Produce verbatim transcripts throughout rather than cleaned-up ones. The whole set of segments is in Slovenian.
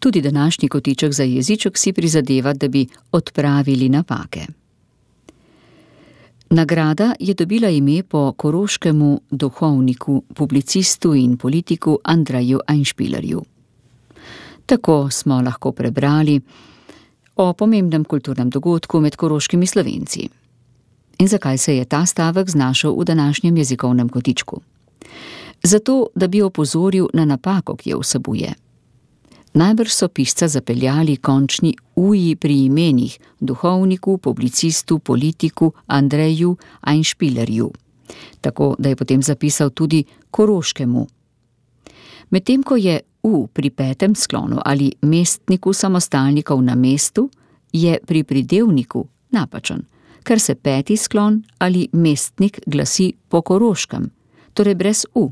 Tudi današnji kotiček za jeziček si prizadeva, da bi odpravili napake. Nagrada je dobila ime po koroškemu duhovniku, publicistu in politiku Andreju Einspielerju. Tako smo lahko prebrali o pomembnem kulturnem dogodku med koroškimi Slovenci. In zakaj se je ta stavek znašel v današnjem jezikovnem kotičku? Zato, da bi opozoril na napako, ki jo vsebuje. Najbrž so pisca zapeljali končni uji pri imenih duhovniku, publicistu, politiku Andreju Einspielerju, tako da je potem zapisal tudi koroškemu. Medtem ko je u pri petem sklonu ali mestniku samostalnikov na mestu, je pri pridevniku napačen, ker se peti sklon ali mestnik glasi po koroškem, torej brez u.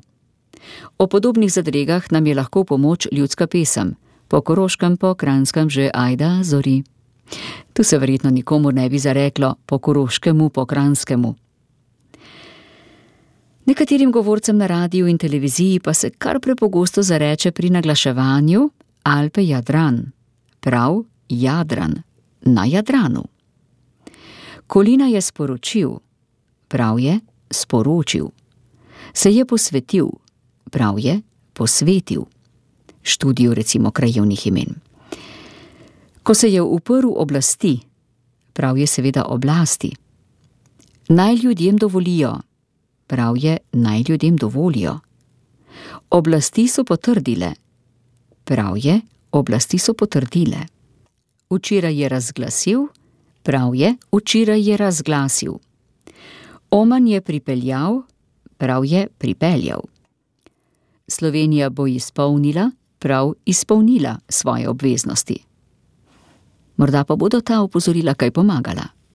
O podobnih zadregah nam je lahko v pomoč ljudska pesem, po koroškem, po kranjskem že ajda zori. Tu se verjetno nikomur ne bi zareklo po koroškemu, po kranjskemu. Nekaterim govorcem na radiju in televiziji pa se kar prepogosto zareče pri naglaševanju Alpe Jadran, prav Jadran, na Jadranu. Kolina je sporočil, prav je sporočil. Se je posvetil, prav je posvetil. Študiju recimo krajevnih imen. Ko se je uprl oblasti, prav je seveda oblasti. Naj ljudem dovolijo, prav je naj ljudem dovolijo. Oblasti so potrdile, prav je oblasti so potrdile. Včeraj je razglasil, prav je včeraj je razglasil. Oman je pripeljal, prav je pripeljal. Slovenija bo izpolnila, prav izpolnila svoje obveznosti. Morda pa bodo ta opozorila kaj pomagala.